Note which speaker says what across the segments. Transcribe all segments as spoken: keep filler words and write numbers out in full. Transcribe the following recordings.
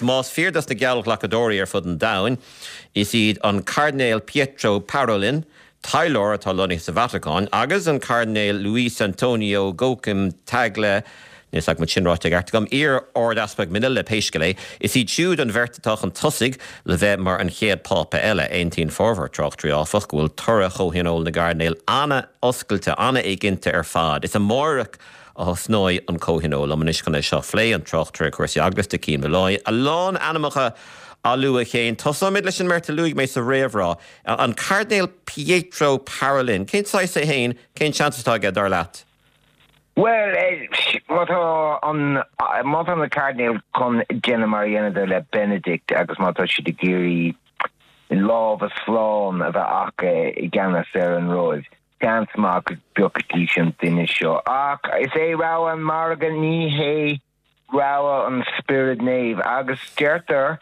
Speaker 1: Más fíor dos na geallghlacadóirí ar fud an domhain, is iad an Cairdinéal Pietro Parolin, taidhleoir atá lonnaithe sa Vatacáin, agus an Cairdinéal Luis Antonio Gokim Tagle, níl a fhios agam an sin ráite i gceart agam, iar-Ardeaspag Manila pé scéal é, is iad siúd an bheirt atá chun tosaigh le bheith mar an chéad Phápa eile. Aontaíonn formhór tráchtairí, áfach, go bhfuil toradh Chomhthionól na gCairdinéal an-oscailte, an-éiginnte ar fad. Is amárach a thosnóidh an Comhthionól. Liom anois chun é seo a phlé, an tráchtaire cúrsaí eaglasta, Cian Molloy. A lán ainmneacha á lua, a Chéin. Tosóimid leis an mbeirt a luaigh mé sa réamhrá. An Cairdinéal Pietro Parolin. Cén saghas é féin? Cén seans atá aige, dar leat?
Speaker 2: Bhuel, má tá an má tá na cairdinéil chun déanamh mar a dheineadar le Benedict agus má tá siad ag iarraidh lámha slán a bheith acu i gceannas ar an Róimh, seans maith go bpiocfaidís an duine seo. Ach is é rogha an mhargaidh, ní hé rogha an Spioraid Naomh. Agus deirtear,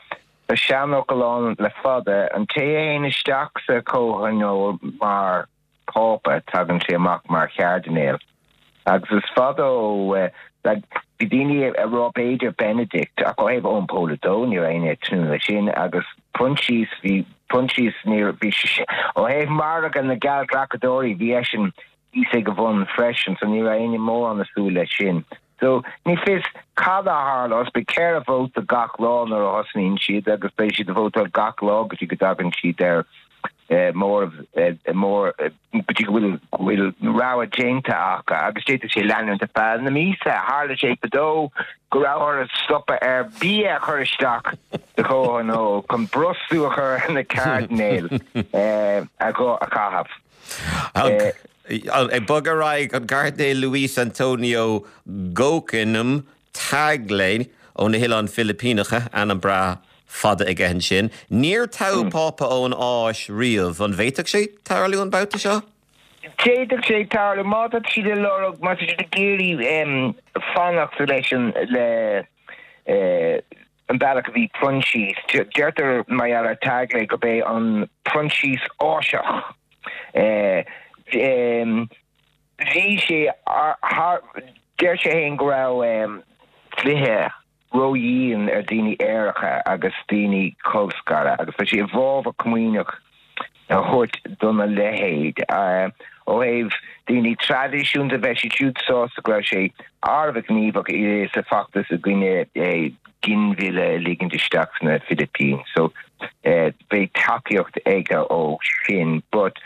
Speaker 2: tá seanfhocal ann le fada, an té a théann isteach sa chomhthionól mar Phápa, tagann sé amach mar chairdinéal. Agus is fada ó like bhí daoine ag rá b'fhéidir Benedict ach ó thaobh Eoin Pól a dó ní raibh éinne ag tnúth leis sin agus Proinsias bhí Proinsias ní bhí sé ó thaobh margadh na geallghlacadóirí bhí eisean thíos ag a bhun freisin so ní raibh éinne mórán ag súil leis sin. So ní fios cad a tharlós beidh ceithre vóta gach lá nuair a thosnaíonn siad agus beidh siad ag vótáil gach lá go dtí go dtagann siad ar mór mór go dtí go bhfuil go bhfuil rogha déanta acu agus d'fhéadfadh sé leanúint ar feadh na míosa. Tharla sé fadó go raibh orthu stopadh ar bia a chur isteach sa chomhthionól chun brostú a chur ar na cairdinéil a chaitheamh.
Speaker 1: Ag bogadh ar aghaidh, an Cairdinéal Luis Antonio Gokim Tagle ó na hOileáin Philipíneacha, ainm breá fada aige ansin. Níor toghadh Pápa ón Áis riamh. An bhféadfadh sé tarlú an babhta seo?
Speaker 2: D'fhéadfadh sé tarlú má tá siad ag lorg, má tá siad ag iarraidh fanacht leis an le an bealach a bhí Proinsias. Deirtear mar gheall ar Tagle gurb é an Proinsias Áiseach. Bhí sé thar, deir sé féin go raibh dlíthe ródhian ar daoine aeracha agus daoine colscartha agus tá sé i bhfabhar comaoineach a thabhairt dona leithéid. Ó thaobh daoine traidisiúnta bheadh siad siúd sásta go raibh sé thar a bheith gníomhach sa feachtas i gcoinne ginmhilleadh a ligint isteach sna Philippines so beidh tacaíocht aige ó sin. But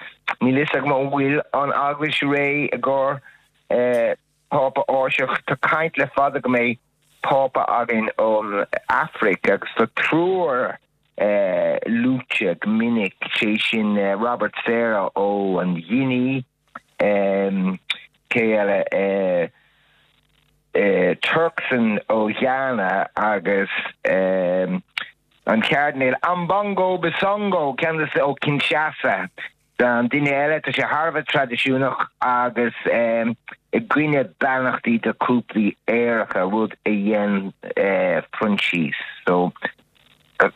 Speaker 2: níl fhios agam an bhfuil an Eaglais réidh i gcomhair Pápa Áiseach. Tá caint le fada go mbeidh Pápa againn ón Afraic agus tá triúr luaite go minic, sé sin Robert Sarah ó an Ghuine, cé eile, Turkson ó Ghana agus an Cairdinéal Ambongo Besungu, ceann de ó Kinshasa. An duine eile, tá sé thar a bheith traidisiúnach agus i gcoinne beannachtaí do chúplaí aeracha, rud a dhein Proinsias. So, tá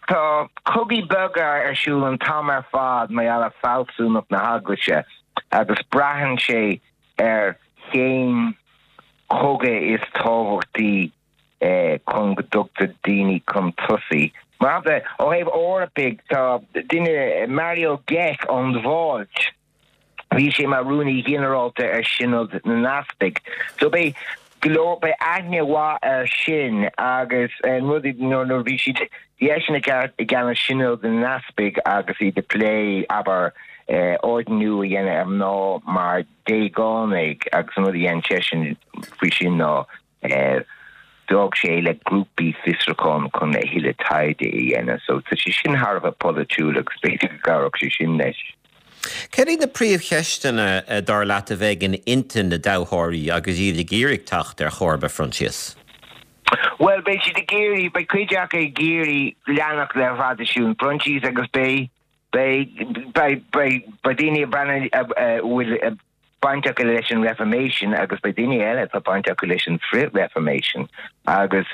Speaker 2: tá cogaí beaga ar siúl an t-am ar fad mar gheall ar fealsúnacht na hEaglaise agus braitheann sé ar cén cogadh is tábhachtaí chun go dtugtar daoine chun tosaigh. Mar shampla, ó thaobh Eorpaigh, tá duine, Mario Grech ón Mháilt, bhí sé mar Rúnaí Ginearálta ar Sionad na nEaspag. So beidh go leor, beidh aithne mhaith air sin agus an rud nuair a bhí siad, bhí eisean i gceannas Sionad na nEaspag agus iad ag plé, abair, ordnú a dhéanamh ar mhná mar déagánaigh agus an rud a dhein seisean faoi sin ná D'fhág sé le grúpaí fiosrúcháin chun a thuilleadh taighde a dhéanamh. So tá sé sin thar a bheith polaitiúil agus b'fhéidir go gcabhródh sé sin leis.
Speaker 1: Céard iad na príomhcheisteanna, dar leat, a bheidh in intinn na dtoghthóirí agus iad ag iarraidh teacht ar chomharba Phroinsias?
Speaker 2: Bhuel, beidh siad ag iarraidh, beidh cuid acu ag iarraidh leanacht le thraidisiún Phroinsias agus beidh, beidh, beidh, beidh, beidh daoine ag breathnú a bhfuil baint acu leis an Reformation agus beidh daoine eile atá baint acu leis an Frith-Reformation agus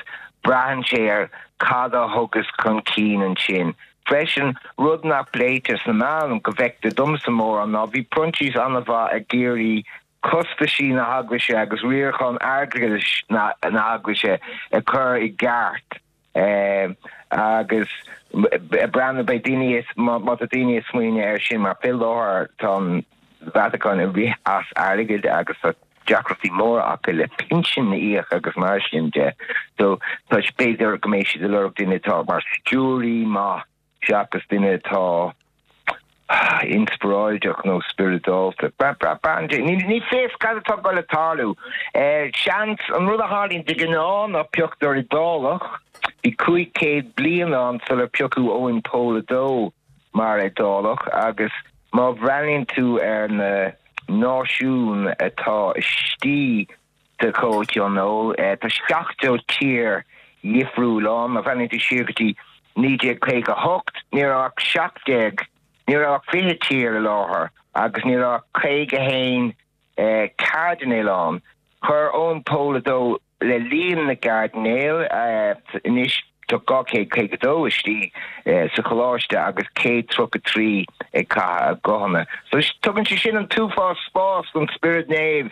Speaker 2: braitheann sé ar cad a thiocfas chun cinn ansin. Freisin, rud nach bpléitear sna meáin, go bhfeictear domsa mórán, ná bhí Proinsias an-mhaith ag iarraidh costaisí na hEaglaise agus riarachán airgeadais na hEaglaise a chur i gceart. Agus breathnú beidh daoine má tá daoine ag smaoineamh air sin mar fé láthair tá an Vatacáin ag rith as airgead agus tá deacrachtaí móra acu le pinsin a íoc agus mar sin de. So tá b'fhéidir go mbeidh siad ag lorg duine atá mar stiúraí maith seachas duine atá inspioráideach nó spioradálta. Ní fios cad atá ag dul a tarlú. Seans an rud a tharlaíonn de ghnáth ná pioctar Iodálach, bhí cúig chéad bliain ann sular piocadh Eoin Pól a dó mar Iodálach agus má bhreathnaíonn tú ar na náisiúin atá istigh sa chomhthionól, tá seachtó tír dhifriúil ann. Má bhreathnaíonn tú siar go dtí naoi déag caoga a hocht, ní raibh ach seacht déag, ní raibh ach fiche tír i láthair agus ní raibh ach caoga a haon cairdinéal ann. Chuir Eoin Pól a dó le líon na gcairdinéal, anois tá dhá chéad caoga a dó istigh sa choláiste agus céad tríocha a trí ag caitheamh a guthanna. So tugann sé sin an t-uafás spás don Spiorad Naomh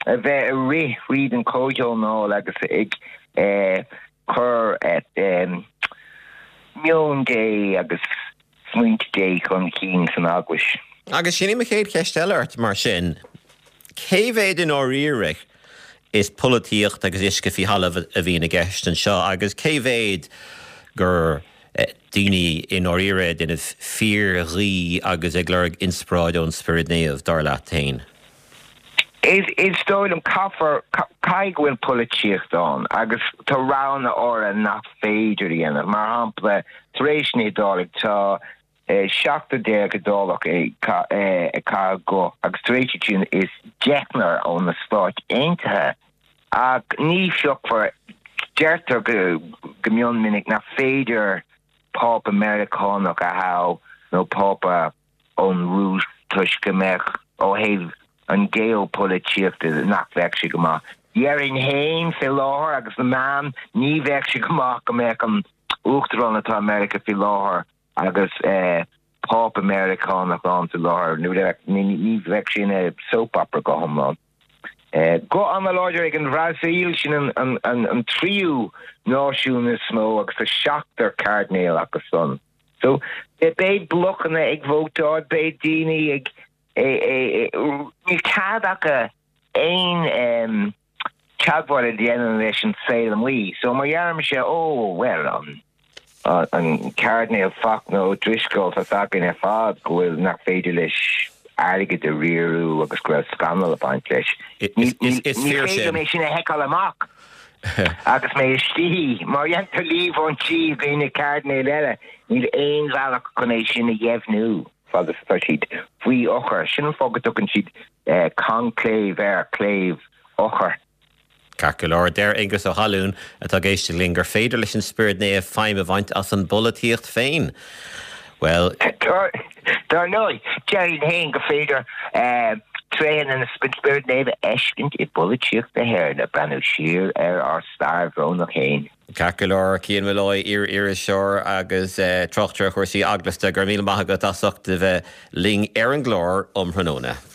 Speaker 2: a bheith ag rith thríd an chomhthionól agus ag cur meon Dé agus smaointe Dé chun cinn san Eaglais.
Speaker 1: Agus sin í mo chéad cheist eile ort mar sin, cé mhéad i ndáiríre is polaitíocht agus uisce faoi thalamh a bhíonn i gceist anseo agus cé mhéad gur daoine i ndáiríre ag déanamh fíorghuí agus ag lorg inspioráid ón Spiorad Naomh, dar leat féin?
Speaker 2: Is is dóigh liom caithfear caithfidh go bhfuil polaitíocht ann agus tá roghanna áirithe nach féidir a dhéanamh. Mar shampla, tar éis na hIodálaigh tá seachtar déag Iodálach ag caitheamh guth agus tar éis iad sin is deichniúr ó na Stáit Aontaithe. Ach ní phiocfar, deirtear go go mion minic nach féidir Pápa Meiriceánach a thoghadh nó Pápa ón Rúis toisc go mbeadh, ó thaobh an geopolaitíochta, nach bheadh sé go maith. Déarfainn féin fé láthair agus na meáin, ní bheadh sé go maith go mbeadh an Uachtarán atá i Meiriceá faoi láthair agus Pápa Meiriceánach ann faoi láthair, ní bheadh sé ina soap opera go hiomlán. Guth an-láidir ag an Bhrasaíl, sin an tríú náisiún is mó agus tá seachtar cairdinéal acu san. So beidh blocanna ag vótáil, beidh daoine ag, níl cead acu aon teagmháil a dhéanamh leis an saol amuigh. So má dheirimse, ó, bhuel, an an Cairdinéal Fachtna Ó Drisceoil, tá's againn ar fad go bhfuil, nach féidir leis airgead a riaradh agus go raibh scannal ag baint leis. Ní féidir liom é sin a sheiceáil amach agus mé istigh. Má dhéantar líomhaintí i gcoinne cairdinéil eile, níl aon bhealach chun é sin a dheimhniú fad is atá siad faoi eochair. Sin an fáth go dtugann siad conclave air, clave eochair.
Speaker 1: Ceart go leor, deir Aengus Ó hAlúin, atá ag éisteacht linn, gur féidir leis an Spiorad Naomh feidhm a bhaint as an bpolaitíocht féin. Bhuel.
Speaker 2: Dar ndóigh, déarfainn féin gur féidir tréithe an Spioraid Naomh a fheiscint i bpolaitíocht na hÉireann, ag breathnú siar ar ár stair bhrónach féin.
Speaker 1: Ceart go leor, Cian Molloy, iar-iriseoir agus tráchtaire ar chúrsaí eaglasta, go raibh míle maith agat as ucht a bheith linn ar an gclár um thráthnóna.